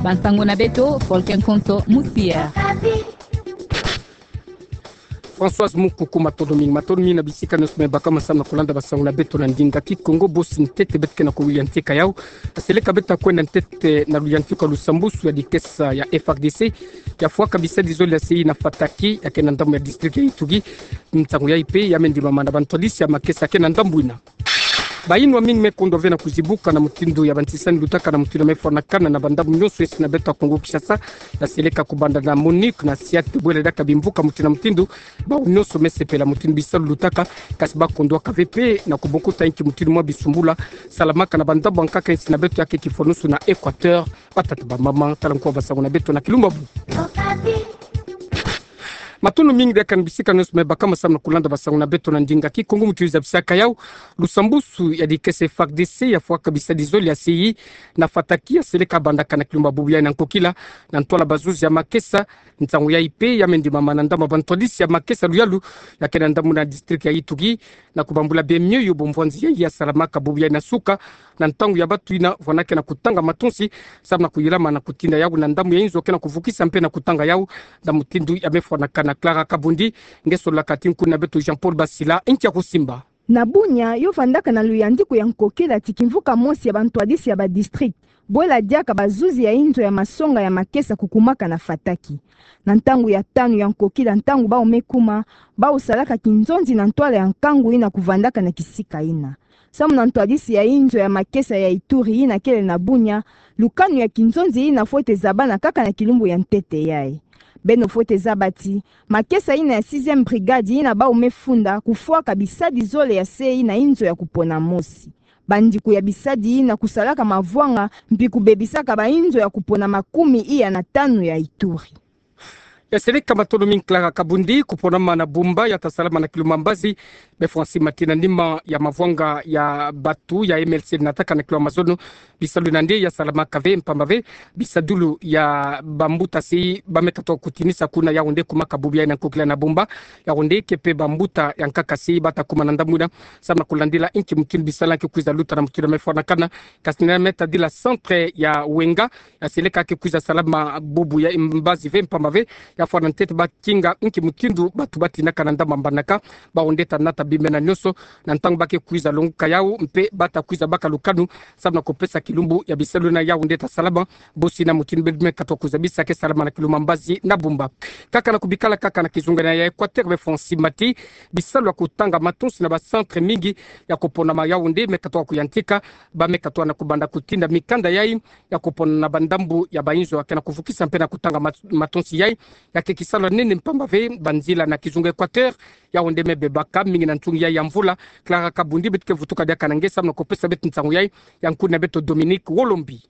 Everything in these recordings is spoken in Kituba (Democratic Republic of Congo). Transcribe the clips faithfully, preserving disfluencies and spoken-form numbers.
Bansango na beto, Folken Konso Musia. Françoise Mukuku, matondo mingi, matondo mingi na bisika nyonso me baka ma samu na kulanda bansango na beto na ndinga Kikongo. Bosi ntete beto ke na kuyantika yau. Seleka beto kwenda ntete na luyantika lusambusu ya dikesa ya F A R D C ya fwaka bisadi zole ya C I na Fataki, ya ke na ndambu ya district ya Ituri. Nsangu yayi pe ya me ndimama na bantwadisi ya makesa ya ke na ndambu ina. Bayinwa mingi me kondwa ve na kuzibuka na mutindu ya bantisani lutaka na mutindu ya me fwanakana na bandambu nyonso esi na beto ya Kongo Kinshasa. Ya seleka kubanda na MONUC na SIAT, bwela diaka bimvuka mutindu na mutindu, bawu nyonso me sepela mutindu bisalu lutaka, kasi ba kondwaka ve pe na kubokuta inki mutindu mwa bisumbula salamaka na bandambu ya nkaka esi na beto ya ke kifwanusu na Equateur. Batata, bamama, tala nkuwa bansango na beto na kilumbu ya bubu. Matondo mingi diaka na bisika nyonso me baka ma samu na kulanda bansango na beto na ndinga Kikongo. Mutindu zabisaka yau, lusambusu ya dikesa F A R D C ya fwaka bisadi zole ya C I na Fataki ya seleka bandaka na kilumbu ya bubu yayi na nkokila, na ntwala bazuzi ya makesa. Nsangu yayi pe ya me ndimama na ndambu ya bantwadisi ya makesa luyalu ya ke na ndambu na district ya Ituri, na kubambula bie mioyo bomvwanzi yayi ya salamaka bubu yayi na suka, na ntangu ya batu ina vwanaka na kutanga matonsi samu na kuyilama na kutinda yau na ndambu ya inzo ke na kuvukisa mpe na kutanga yau na mutindu ya me fwanakana. Clara Kabundi nge sololaka ti nkuna beto Jean-Paul Basila, inki ya kusimba. Na Bunia, yo vandaka na luyandiku ya nkokila ti kimvuka mosi ya bantwadisi ya badistrict, bwela diaka bazuzi ya inzo ya masonga ya makesa kukumaka na Fataki. Na ntangu ya tanu ya nkokila, ntangu bawu me kuma, bawu salaka kinzonzi na ntwala ya nkangu ina kuvandaka na kisika ina. Samu na ntwadisi ya inzo ya makesa ya Ituri ina kele na Bunia, lukanu ya kinzonzi ina fwete zabana kaka na kilumbu ya ntete yayi. Beno fwete zaba ti makesa ina ya sixième brigade ina bawu me funda kufwaka bisadi zole ya C I na inzo ya kupona mosi. Bandiku ya bisadi ina kusalaka mavwanga mpi kubebisaka bainzo ya kupona makumi iya na tanu ya Ituri. Ya seleka, matondo mingi Clara Kabundi. Kuponama na Bumba ya ta salama na kilumbu ya mbazi, be Francis Mati, na nima ya mavwanga ya batu ya M L C nataka na kilumbu ya mazono, bisalu ina nde ya salamaka ve, mpamba ve bisadulu ya bambuta si ba me katuka kutinisa kuna Yaoundé, kumaka bubu yayi na nkokila na Bumba. Yaoundé ke pe bambuta ya nkaka si ba ta kuma na ndambu ina samu na kulandila inki mutindu bisalu ke kwiza luta na mutindu ya me fwanakana. Kasi na me tadila centre ya Ouenga, ya seleka ke kwiza salama bubu ya mbazi ve, mpamba ve ya fwana ntete ba kinga inki mutindu batu ba tinaka na ndambu ya mbanaka. Bawu nde ta nata bimena nyonso na ntangu ba ke kwiza longoka yau mpe ba ta kwiza baka lukanu samu na kupesa kilumbu ya bisalu na Yaoundé ta salama. Bosi na mutindu bebe me katuka kuzabisa ke salama na kilumbu ya mbazi na Bumba. Kaka na kubikala kaka na kizunga ina ya Equateur, be Francis Mati, bisalu ya kutanga matonsi na bacentre mingi ya kuponama Yaoundé me katuka kuyantika. Ba me katuka na kubanda kutinda mikanda yayi ya kupona na bandambu ya bainzo ya ke na kuvukisa mpe na kutanga mat-, matonsi yayi. Ya ke kisalu ya nene, mpamba ve banzila na kizunga Equateur, Yaoundé me bebaka mingi na ntungi yayi ya mvula. Clara Kabundi, beto ke vutuka diaka na nge samu na kupesa beto nsangu yayi, ya nkuna beto Dominique Wolombi.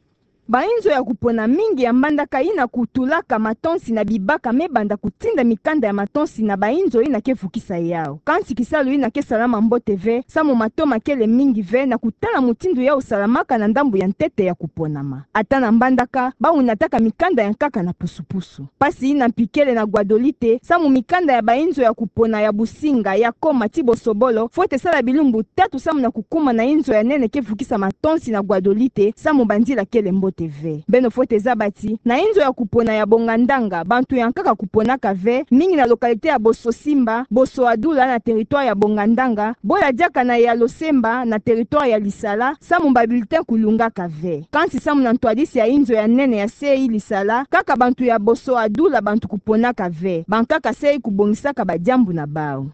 Bainzo ya kupona mingi ya mbandaka ina kutulaka matonsi na bibaka me banda kutinda mikanda ya matonsi na bainzo ina ke vukisa yau. Kansi kisalu ina ke salama mbote ve, samu matoma kele mingi ve na kutala mutindu yau salamaka na ndambu ya ntete ya kuponama. Ata na mbandaka, bawu nataka mikanda ya nkaka na pusupusu. Mpasi ina mpi kele na Guadolite, samu mikanda ya bainzo ya kupona ya Businga, ya Koma ti Bosobolo fwete sala bilumbu tatu samu na kukuma na inzo ya nene ke vukisa matonsi na Guadolite, samu banzila kele mbote ve. Beno fwete zaba ti na inzo ya kupona ya Bongandanga, bantu ya nkaka kuponaka ve, mingi na localité ya Bososimba, Bosoadula na territoire ya Bongandanga, bwela diaka na ya Losemba na territoire ya Lisala, samu ba bulletin kulungaka ve. Kansi samu na ntwadisi ya inzo ya nene ya C I Lisala, kaka bantu ya Bosoadula bantu kuponaka ve. Bankaka C I kubongisaka badiambu na bawu.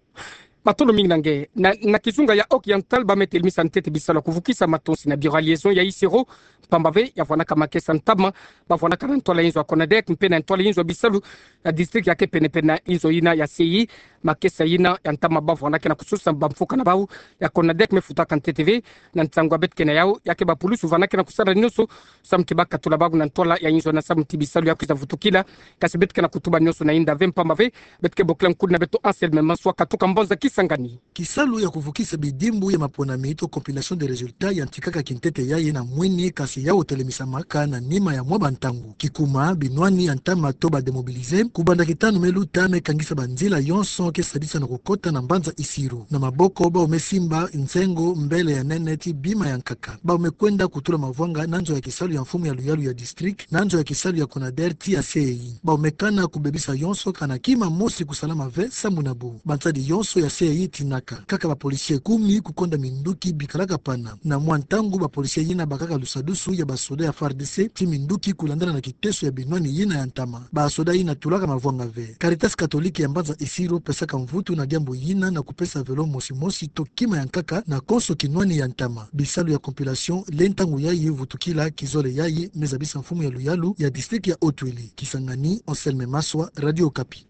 Matondo mingi na nge. Na, na kizunga ya Oriental, ba me telemisa ntete bisalu ya kuvukisa matonsi na bureau ya liaison ya Isiro, mpamba ve ya vwanaka makesa ntama ba vwanaka na ntwala inzo ya Conadec mpe na ntwala inzo ya bisalu ya district ya ke penepene na inzo ina ya C I. Makesa ina ya ntama ba vwanaka na kususa bamfuka na bawu, ya Conadec me futaka ntete ve na nsangu ya beto ke na yau, ya ke bapulusu vanaka na kusala nyonso samu ti ba katula bawu na ntwala ya inzo ina samu ti bisalu ya kwiza vutukila. Kasi beto ke na kutuba nyonso na inda ve, mpamba ve beto ke bokila nkuna beto Anselme Maswa katuka mbanza kis Kisangani. Kisalu ya kuvukisa bidimbu ya maponami to compilation des résultats yantikaka kintete yayi na mwini, kasi ya otele misamaka na nima ya mwa bantangu. Kikuma, binwani ya ntama to ba démobilisés, kubanda kitanu me luta, me kangisa banzila yonso ke sadisa na kukota na mbanza Isiro. Na maboko, bawu me simba nzengo mbele ya nene ti bima ya nkaka. Bawu me kwenda kutula mavwanga na nzo ya kisalu ya mfumu ya luyalu ya district, na nzo ya kisalu ya CONADER ti ya C E I. Bawu me kana kubebisa yonso kana kima mosi kusalama ve sambu na bo. Bansadi yonso ya C E I tinaka. Kaka ba policiers kumi kukonda minduki bikalaka pana. Na mwa ntangu ba policiers yina bakaka lusadusu ya ba soda ya F A R D C ti minduki kulandana na kiteso ya binwani yina ya ntama. Ba soda yina tulaka mavwanga ve. Caritas Catholique ya mbanza Isiro pesaka mvutu na diambu yina na kupesa vélo mosi mosi to kima ya nkaka na konso kinwani ya ntama. Bisalu ya compilation le ntangu yayi vutukila kizole yayi, me zabisa mfumu ya luyalu ya district ya Haut-Uele. Kisangani, Anselme Maswa, Radio Okapi.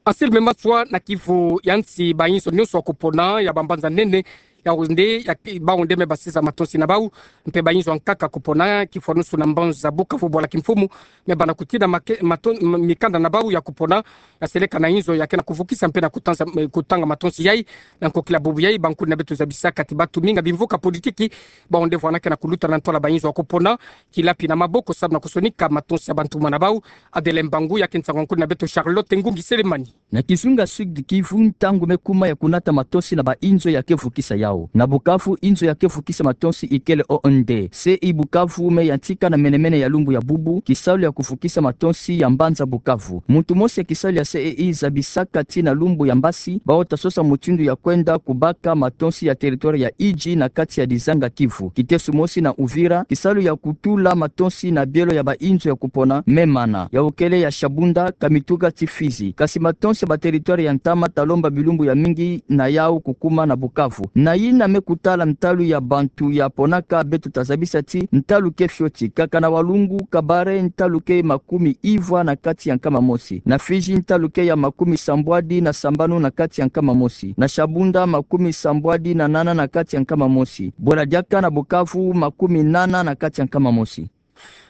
Anselme Maswa. Na kivu ya nsi, bainzo nionso ya kupona ya bambanza nene ya Yaoundé, ya ki-, Baoundé me basiza matonsi na bawu, mpe bainzo ya nkaka kupona kifwanusu na mbanza Bukavu, bwala kimfumu, me bana kutina make-, maton-, m-, mikanda na bawu ya kupona, ya seleka na inzo ya ke na kuvukisa mpe na kutanza, eh, kutanga matonsi yayi. Na nkokila bubu yayi, bankuni na beto zabisaka ti batu mingi ya bimvuka politiki, Baoundé vwanda ke na kuluta na ntwala bainzo ya kupona, kilapi na maboko samu na kusonika matonsi ya bantumwa na bawu. Adeline Mbangu, ya ke nsangu ya nkuni na beto Charlotte Ngungi Selemani. Na kizunga Sud-Kivu, ntangu me kuma ya kunata matonsi na bainzo ya ke vukisa yawu. Na Bukavu, inzo ya ke vukisa matonsi ikele O N D. C E I Bukavu me yantika na mene-mene ya lumbu ya bubu kisalu ya kuvukisa matonsi ya mbanza Bukavu. Muntu mosi ya kisalu ya C E I zabisaka ti na lumbu ya mbasi, bawu ta sosa mutindu ya kwenda kubaka matonsi ya territoire ya Idjwi na kati ya dizanga Kivu. Kiteso mosi na Uvira, kisalu ya kutula matonsi na bielo ya bainzo ya kupona me mana, yawukele ya Shabunda, Kamituga ti Fizi. Kasi matonsi ya ba territoire ya ntama ta lomba bilumbu ya mingi na yawu kukuma na Bukavu. Na yina me kutala ntalu ya bantu ya ponaka, beto ta zabisa ti ntalu ke fioti. Kaka na Walungu, Kabare, ntalu ke makumi ivwa na kati ya nkama mosi. Na Fizi, ntalu ke ya makumi sambwadi na sambanu na kati ya nkama mosi. Na Shabunda, makumi sambwadi na nana na kati ya nkama mosi. Bwela diaka na Bukavu, makumi nana na kati ya nkama mosi.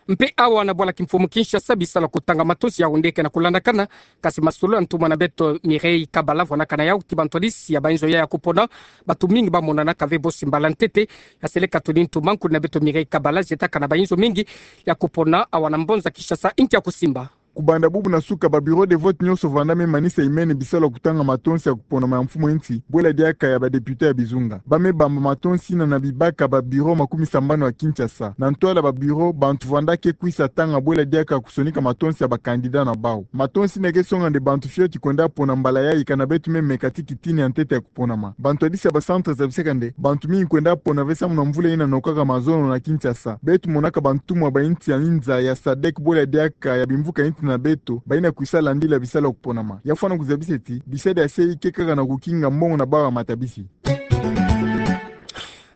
Mpe awa na bwala kimfumu Kinshasa, bisalu ya kutanga matonsi ya Yaoundé ke na kulandakana, kasi masolo ya ntumwa na beto Mireille Kabala vwanakana yawu ti bantwadisi ya bainzo yayi ya kupona, batu mingi bamonanaka ve bosi mbala ntete. Ya seleka tuni ntuma nkuni na beto Mireille Kabala, zietaka na bainzo mingi ya kupona awa na mbanza Kinshasa, inki ya kusimba. Kubanda bubu na suka, ba bureau de vote nionso vwanda me manisa imene bisalu ya kutanga matonsi ya kuponama ya mfumu ya nsi, bwela diaka ya ba députés ya bizunga. Ba me bamba matonsi yina na bibaka ba bureau makumi sambanu ya Kinshasa. Na ntwala ba bureau, bantu vwanda ke kwisa tanga bwela diaka kusonika matonsi ya ba candidats na bawu. Matonsi yina ke songa nde bantu fioti kwenda pona mbala yayi, kana beto me meka ti kitini ya ntete ya kuponama. Bantwadisi ya ba centres zabisaka nde bantu mingi kwenda pona ve samu na mvula yina nokaka mazono na Kinshasa. Beto monaka bantumwa ba insi ya inza ya sadec bwela diaka ya bimvuka insi na beto, bayina kwisa landila bisalu ya kuponama. Ya fwana kuzabisa ti bisadi ya C E I ke kaka na kukinga mbongo na bawu ya matabisi.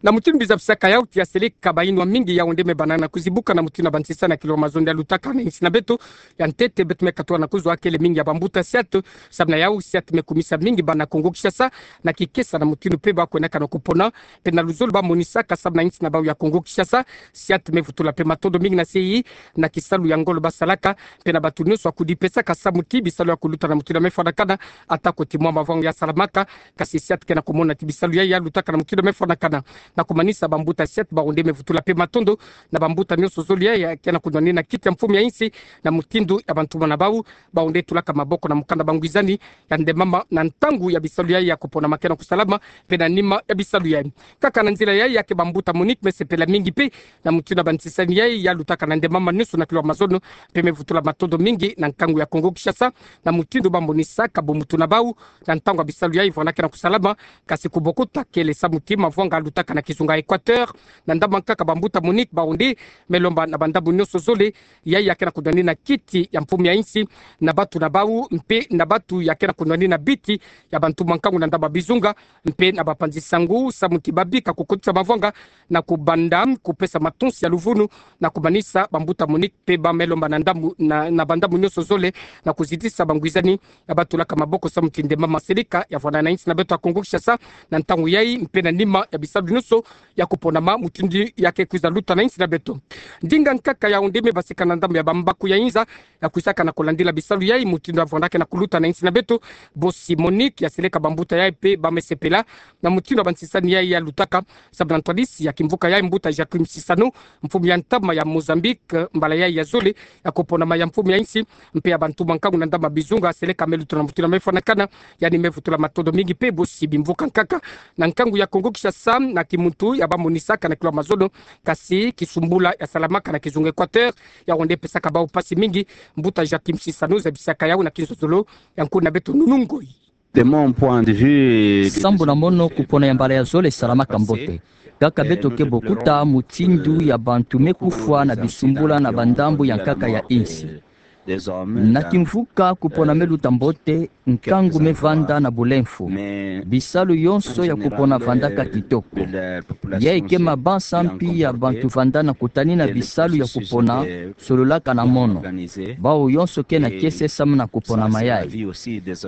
Na mutindu bizabisaka yawu, ti ya seleka bayinwa mingi Yaoundé me bana na kuzibuka na mutindu ya bansisa na kiloro mazono ya lutaka na insi na beto. Ya ntete, beto me katuka na kuzwa kele mingi ya bambuta SIAT, samu na yawu SIAT me kumisa mingi bana Kongo Kinshasa na kikesa na mutindu mpe ba kwenaka na kupona, mpe na luzolo ba monisaka samu na insi na bawu ya Kongo Kinshasa. SIAT me vutula mpe matondo mingi na C E I na kisalu ya ngolo basalaka, mpe na bantu nionso ya kudipesaka samu ti bisalu ya kuluta na mutindu ya me fwanakana, ata ko ti mwa mavanga ya salamaka. Kasi SIAT ke na kumona ti bisalu yayi ya lutaka na mutindu ya me fwanakana. Na kumanisa, bambuta SIAT Baoundé me vutula mpe matondo na bambuta nionso zole yayi ya ke na kunwanina kiti ya mfumu ya insi na mutindu ya bantumwa na bawu. Bawu nde tulaka maboko na mukanda bangwizani ya ndemama na ntangu ya bisalu yayi ya kuponama ke na kusalama, mpe na nima ya bisalu yayi. Kaka na nzila yayi, ya ke bambuta MONUC me sepela mingi mpe na mutindu ya bansisani yayi ya lutaka na ndemama nionso na kiloro mazono, mpe me vutula matondo mingi na nkangu ya Kongo Kinshasa na mutindu ba monisaka bumutu na bawu na ntangu ya bisalu yayi vwanda ke na kusalama. Kasi kubokuta kele samu ti mavanga lutaka na kizunga Équateur, na ndambu nkaka bambuta MONUC Baoundé me lomba na bandambu nionso zole yayi ya ke na kunwanina kiti ya mfumu ya insi, na bantu na bawu mpe na bantu ya ke na kunwanina biti ya bantu mankangu na ndambu ya bizunga, mpe na bapanzi sangu, samu ti babika kukotisa mavanga na kubanda kupesa matonsi ya luvunu, na kumanisa bambuta MONUC mpe ba me lomba na ndambu, na, na bandambu nionso zole na kuzitisa bangwizani ya ba tulaka maboko samu ti ndemama seleka ya vwanda na insi na beto ya Kongo Kinshasa na ntangu yayi mpe na nima ya bisalu nionso. nyonso ya kuponama mutindu ya kekwiza luta na insi na beto. Ndinga nkaka ya onde me basika na ndambu ya bambaku ya inza ya kwisaka na kulandila bisalu yai mutindu ya vwandaka na kuluta na insi na beto. Bosi Monique ya seleka bambuta yai mpe ba me sepela na mutindu ya bansisani yai ya lutaka, sababu na ntwadisi ya kimvuka yai, mbuta Joaquim Chissano, mfumu ya ntama ya Mozambique, mbala yai ya zole ya kuponama ya mfumu ya insi mpe ya bantu ba nkangu na ndambu ya bizunga, seleka me luta na mutindu ya me fwanakana. Yandi me vutula matondo mingi mpe bosi bimvuka nkaka na nkangu ya Kongo-Kinshasa na kimuntu ya bamonisaka na kilwa mazono, kasi kisumbula ya salamaka na kizunga Équateur, ya onde pesaka bau mpasi mingi. Mbuta Joaquim Chissano zabisaka yau na kinzozolo ya nkuna beto Nunu Ngoyi. De mon point de vue, sambu na mono, kupona ya mbala ya zole salamaka mbote. Kaka beto ke bokuta mutindu ya bantu me kufwa na bisumbula na bandambu ya nkaka ya insi. Na kimvuka kupona me luta mbote, nkangu me vanda na bulemfu. Bisalu yonso ya kupona vandaka kitoko. Yai ke mabanza mpi ya bantu vanda na kutanina bisalu ya kupona, sololaka na mono. Bau yonso ke na kiese samu na kuponama yai.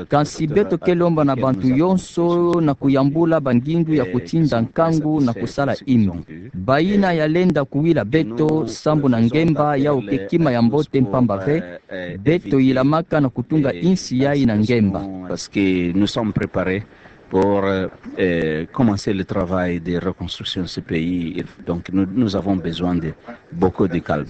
Kansi beto ke lomba na bantu yonso na kuyambula bangindu ya kutinda nkangu na kusala imbi. Bayina ya lenda kuwila beto sambu na ngemba yau ke kima ya mbote mpamba ve, beto yilamaka na kutunga insi yai na ngemba. Parce que nous sommes préparés pour, euh, commencer le travail de reconstruction de ce pays. Donc nous, nous avons besoin de beaucoup de calme.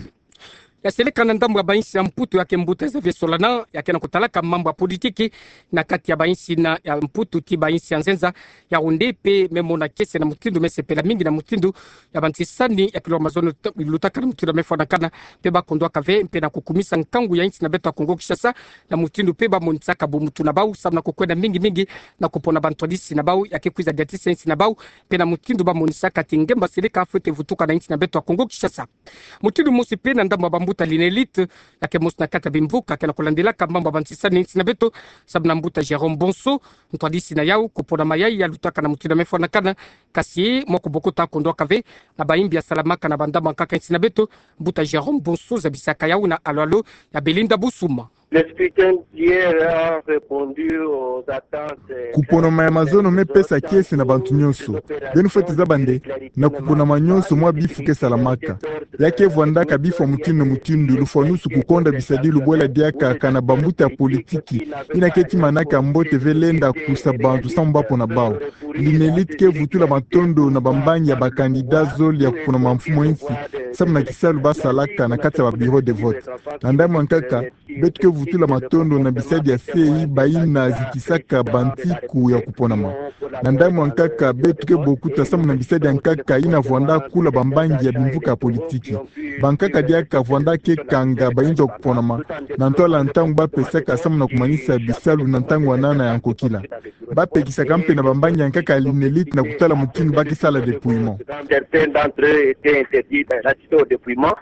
Ya seleka na ndambu ya bainsi ya Mputu ya ke mbuta Xavier Solana, ya ke na kutalaka mambu ya politiki na kati ya bainsi na ya Mputu ti bainsi ya nzenza, ya onde mpe me mona kiese na mutindu me sepela mingi na mutindu ya bansisani ya kilwa mazono lutaka na mutindu ya me fwanakana, mpe ba kondwaka ve mpe na kukumisa nkangu ya insi na beto ya Kongo-Kinshasa, na mutindu mpe bamonisaka bumutu na bau samu na kukwenda mingi mingi na kupona bantwadisi na bau ya ke kwiza diatisa insi na bau, mpe na mutindu bamonisaka ti ngemba seleka fwete vutuka na insi na beto ya Kongo-Kinshasa. Mutindu mosi mpe na ndambu ya bambuta l'UNELIT, ya ke mosi na kati ya bimvuka ke na kulandilaka mambu ya bansisani na insi na beto, samu na mbuta Jérôme Bonso, ntwadisi na yau, kuponama yai ya lutaka na mutindu ya me fwanakana, kasi mwa kubokuta kondwaka ve na baimbi ya salamaka na bandambu ya nkaka ya insi na beto. Mbuta Jérôme Bonso zabisaka yau na alo-alo ya Belinda Busuma. Le scrutin d'hier a répondu aux attentes. Kuponama ya mazono me pesa kiese na bantu nyonso. Beno fwete zaba nde, na kuponama nyonso mwa bifu ke salamaka. Ya ke vwandaka bifu ya mutindu na mutindu, lufwanusu, kukonda bisadilu, bwela diaka kana bambuta ya politiki yina ke timanaka mbote ve lenda kusa bantu samu ba pona bau. L'UNELIT ke vutula matondo na bambangi ya ba candidats zole ya kuponama mfumu ya insi samu na kisalu basalaka na kati ya ba bureaux de vote. Na ndambu ya nkaka, beto ke vutula matondo na bisadi ya C E I bayina zikisaka bantiku ya kuponama. Na ndambu ya nkaka, beto ke bokuta samu na bisadi ya nkaka yina vwanda kula bambangi ya bimvuka ya politiki. Bankaka diaka vwanda ke kanga bayinzo ya kuponama na ntwala ntangu bapesaka samu na kumanisa bisalu na ntangu wanana ya nkokila. Bapekisaka mpe na bambangi ya nkaka ya l'UNELIT na kutala mutindu ba ke sala dépouillement. Certains d'entre eux étaient interdits d'assister au dépouillement.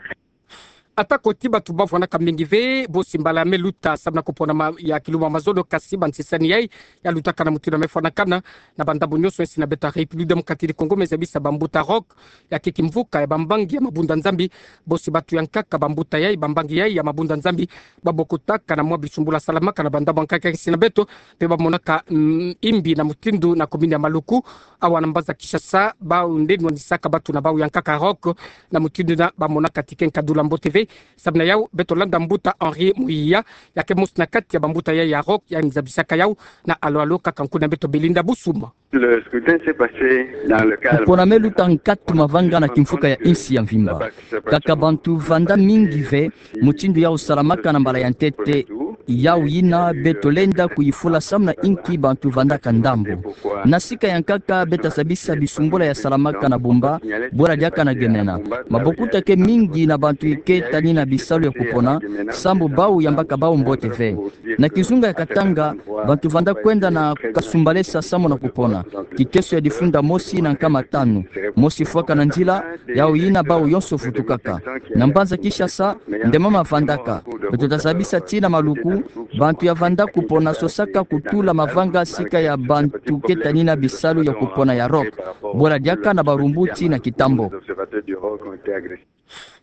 Atako ti bantu ba vwandaka mingi ve, bosi mbala ya me luta samu na kuponama ya kilumbu ya mazono, kasi bansisani yai ya lutaka na mutindu ya me fwanakana na bandambu nyonso ya insi na beto ya République Démocratique du Congo me zabisa bambuta Rock, ya ke kimvuka ya bambangi ya Mabunda Nzambi, bosi bantu ya nkaka bambuta yai, bambangi yai ya Mabunda Nzambi, babokutaka na mwa bisumbula salamaka na bandambu ya nkaka ya insi na beto, mpe bamonaka, mm, imbi na mutindu na commune ya Maluku, awa na mbanza Kinshasa, bau nde nwanisaka bantu na bau ya nkaka Rock, na mutindu yina bamonaka ti ke nkadula mbote ve. Samu na yau, beto landa mbuta Henri Muyiya, ya ke mosi na kati ya bambuta yai ya Rock, yandi zabisaka yau na alo-alo kaka nkuna beto Belinda Busuma. Le scrutin s'est passé dans le calme. Kupona me luta nkatu mavanga na kimvuka ya insi ya mvimba. Kaka bantu vanda mingi ve, mutindu yau salamaka na mbala ya ntete, yau yina beto lenda kuyifula samu na inki bantu vandaka ndambu. Na sika ya nkaka, beta zabisa bisumbula ya salamaka na Bumba, bwela diaka na Gemena. Mabokuta ke mingi na bantu ke tanina bisalu ya kupona, sambu bau yambaka bau mbote ve. Na kizunga ya Katanga, bantu vanda kwenda na Kasumbalesa samu na kupona. Kiteso ya difunda mosi na nkama tanu. Mosi fwaka na nzila, yau yina bau yonso vutukaka. Na mbanza Kinshasa, nde mama vandaka. Beto ta zabisa ti na Maluku, bantu ya vanda kupona sosaka kutula mavanga sika ya bantu ke tanina bisalu ya kupona ya Rock. Bwela diaka na Barumbu ti na Kitambo.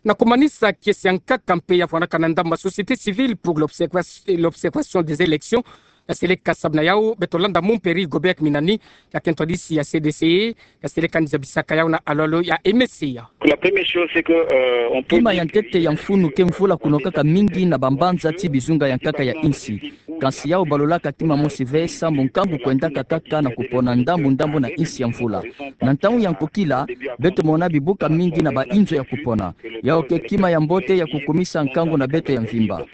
Na kumanisa kiese ya nkaka mpe ya vwanaka na ndambu ya société civile pour l'observa-, l'observation des élections, Ya seleka sabana yau, beto landa momperi Gobert Minani, ya kento disi ya C D C, ya seleka ni zabisaka yau na alo-alo ya M S C ya. La première chose, c'est que, euh, on peut Kima ya ntete ya mfunu ke mvula kunokaka mingi na bambanza ti bizunga ya nkaka ya insi. Kansi yau balulaka kima mosi ve, sambu nkangu kwendaka kaka na kupona ndambu-ndambu na insi ya mvula. Na ntangu ya nkokila, beto mona bibuka mingi na bainzo ya kupona. Yau ke kima ya mbote ya kukumisa nkangu na beto ya mvimba.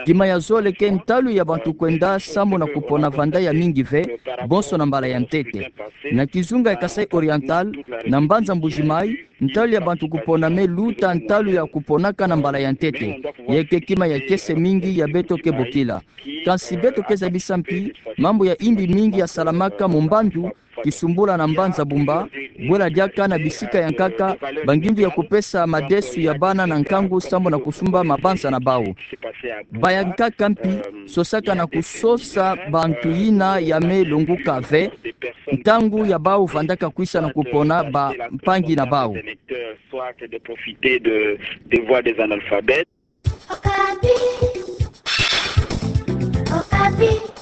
Kima ya zole ke ntalu ya bantu kwenda sambu na kupona vanda ya mingi ve, bonso na mbala ya ntete. Na kizunga ya Kasaï Oriental, na mbanza Mbuji-Mayi, ntalu ya bantu kupona me luta ntalu ya kuponaka na mbala ya ntete. Ye ke kima ya kiese mingi ya beto ke bokila. Kansi beto ke zabisa mpi, mambu ya imbi mingi ya salamaka mu mbandu, kisumbula na mbanza Bumba, bwela diaka na bisika ya nkaka, bangindu ya kupesa madesu ya bana na nkangu sambu na kusumba mabanza na bau. Bayankaka mpi, sosaka na kusosa bantu yina ya me longuka ve, ntangu ya bau vandaka kwisa na kupona bampangi na bau. Soit que de profiter de, des voix des analphabètes. Okapi. Okapi.